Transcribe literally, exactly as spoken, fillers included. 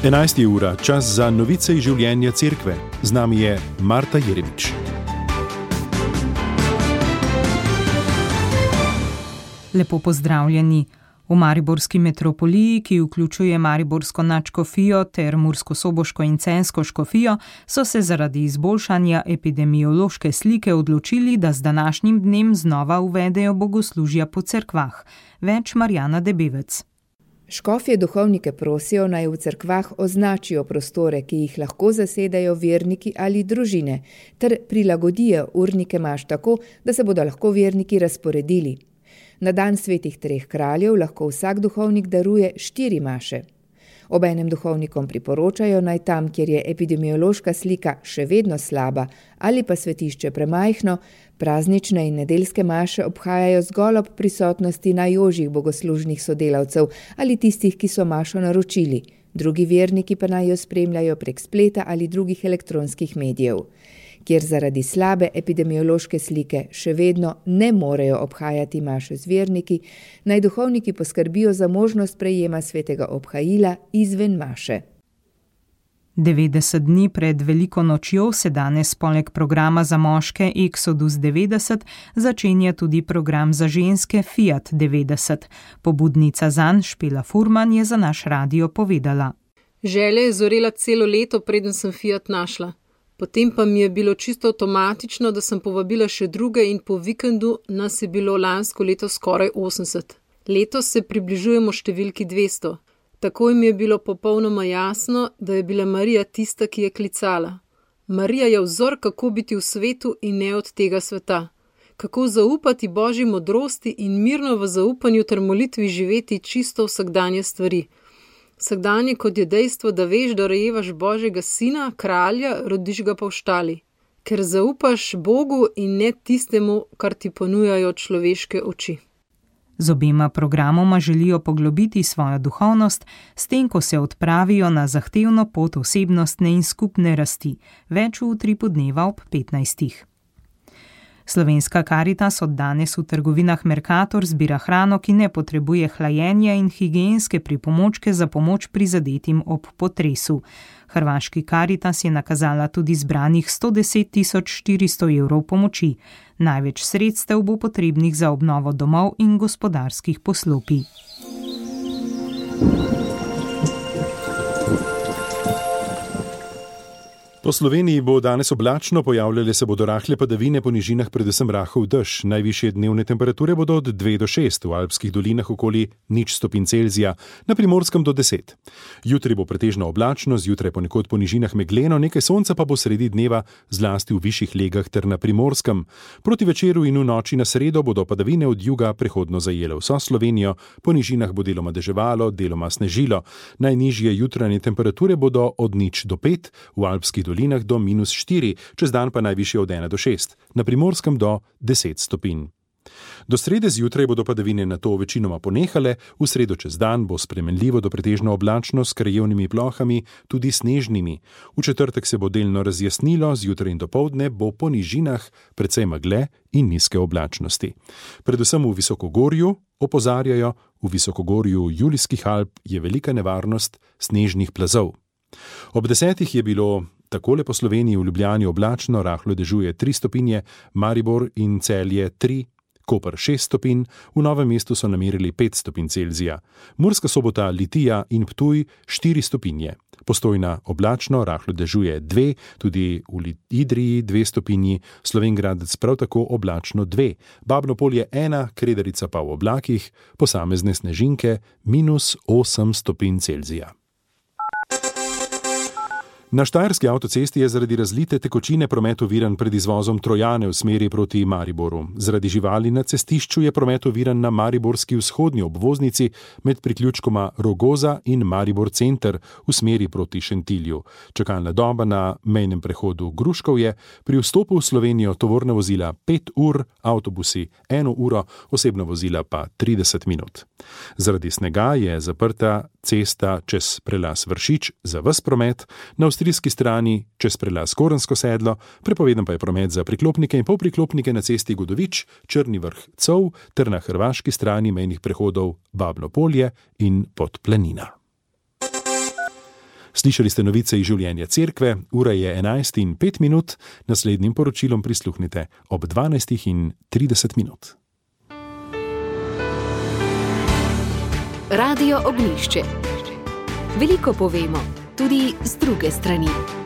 enajsta ura, čas za novice iz življenja cerkve. Z nami je Marta Jeremič. Lepo pozdravljeni. V mariborski metropoliji, ki vključuje mariborsko nadškofijo ter murskosoboško in celjsko škofijo, so se zaradi izboljšanja epidemiološke slike odločili, da z današnjim dnem znova uvedejo bogoslužja po cerkvah. Več Marjana Debevec. Škofje duhovnike prosijo, naj v cerkvah označijo prostore, ki jih lahko zasedajo verniki ali družine, ter prilagodijo urnike maš tako, da se bodo lahko verniki razporedili. Na dan svetih treh kraljev lahko vsak duhovnik daruje štiri maše. Obenem duhovnikom priporočajo, naj tam, kjer je epidemiološka slika še vedno slaba ali pa svetišče premajhno, praznične in nedeljske maše obhajajo zgolj ob prisotnosti najožjih bogoslužnih sodelavcev ali tistih, ki so mašo naročili. Drugi verniki pa naj jo spremljajo prek spleta ali drugih elektronskih medijev. Kjer zaradi slabe epidemiološke slike še vedno ne morejo obhajati maše z verniki, naj duhovniki poskrbijo za možnost prejema svetega obhajila izven maše. devetdeset dni pred veliko nočjo se danes poleg programa za moške Exodus devetdeset začenja tudi program za ženske Fiat devetdeset. Pobudnica zanj Špela Furman je za naš radio povedala. Želja je zorela celo leto, preden sem Fiat našla. Potem pa mi je bilo čisto avtomatično, da sem povabila še druge in po vikendu nas je bilo lansko leto skoraj osemdeset. Letos se približujemo številki dvesto. Takoj mi je bilo popolnoma jasno, da je bila Marija tista, ki je klicala. Marija je vzor, kako biti v svetu in ne od tega sveta. Kako zaupati Božji modrosti in mirno v zaupanju ter molitvi živeti čisto vsakdanje stvari. Vsakdanje kot je dejstvo, da veš, da rojevaš Božjega sina, kralja, rodiš ga pa v štali. Ker zaupaš Bogu in ne tistemu, kar ti ponujajo človeške oči. Z obema programoma želijo poglobiti svojo duhovnost, s tem, ko se odpravijo na zahtevno pot osebnostne in skupne rasti. Več v utripu dneva ob petnajstih. Slovenska Karitas od danes v trgovinah Mercator zbira hrano, ki ne potrebuje hlajenja in higienske pripomočke za pomoč prizadetim ob potresu. Hrvaški Karitas je nakazala tudi zbranih sto deset tisoč štiristo evrov pomoči. Največ sredstev bo potrebnih za obnovo domov in gospodarskih poslopij. Po Sloveniji bo danes oblačno, pojavljale se bodo rahle padavine, po nižinah predvsem rahel dež. Najvišje dnevne temperature bodo od dve do šest, v alpskih dolinah okoli nič stopinj Celzija, na Primorskem do deset. Jutri bo pretežno oblačno, zjutraj ponekod po nižinah megleno, nekaj sonca pa bo sredi dneva, zlasti v višjih legah ter na Primorskem. Proti večeru in v noči na sredo bodo padavine od juga prehodno zajele vso Slovenijo, po nižinah bo deloma deževalo, deloma snežilo. Najnižje jutranje temperature bodo od nič do pet, v alpskih dolinah do minus štiri, čez dan pa najvišje od ena do šest, na Primorskem do deset stopinj. Do srede zjutraj bodo padavine nato večinoma ponehale, v sredo čez dan bo spremenljivo do pretežno oblačno s krajevnimi plohami, tudi snežnimi. V četrtek se bo delno razjasnilo, zjutraj in dopoldne bo po nižinah precej megle in nizke oblačnosti. Predvsem v visokogorju opozarjajo, v visokogorju Julijskih Alp je velika nevarnost snežnih plazov. Ob desetih je bilo takole po Sloveniji: v Ljubljani oblačno, rahlo dežuje tri stopinje, Maribor in Celje tri, Koper šest stopinj, v Novem mestu so namerili pet stopinj Celzija, Murska Sobota, Litija in Ptuj štiri stopinje, Postojna oblačno, rahlo dežuje dve, tudi v Idriji dve stopinji, Slovenj Gradec prav tako oblačno dve, Babno Polje ena, Kredarica pa v oblakih, posamezne snežinke minus osem stopinj Celzija. Na štajerski avtocesti je zaradi razlite tekočine promet oviran pred izvozom Trojane v smeri proti Mariboru. Zaradi živali na cestišču je promet oviran na mariborski vzhodni obvoznici med priključkoma Rogoza in Maribor center v smeri proti Šentilju. Čakalna doba na mejnem prehodu Gruškovje, pri vstopu v Slovenijo tovorna vozila pet ur, avtobusi eno uro, osebna vozila pa trideset minut. Zaradi snega je zaprta cesta čez prelaz Vršič za ves promet, na avstrijski strani čez prelaz Korensko sedlo, prepovedan pa je promet za priklopnike in polpriklopnike na cesti Godovič, Črni vrh Cov ter na hrvaški strani mejnih prehodov Babno Polje in Podplanina. Slišali ste novice iz življenja cerkve, ura je enajst in pet minut, naslednjim poročilom prisluhnite ob dvanajst in trideset minut. Radio Ognjišče. Veliko povemo, tudi z druge strani.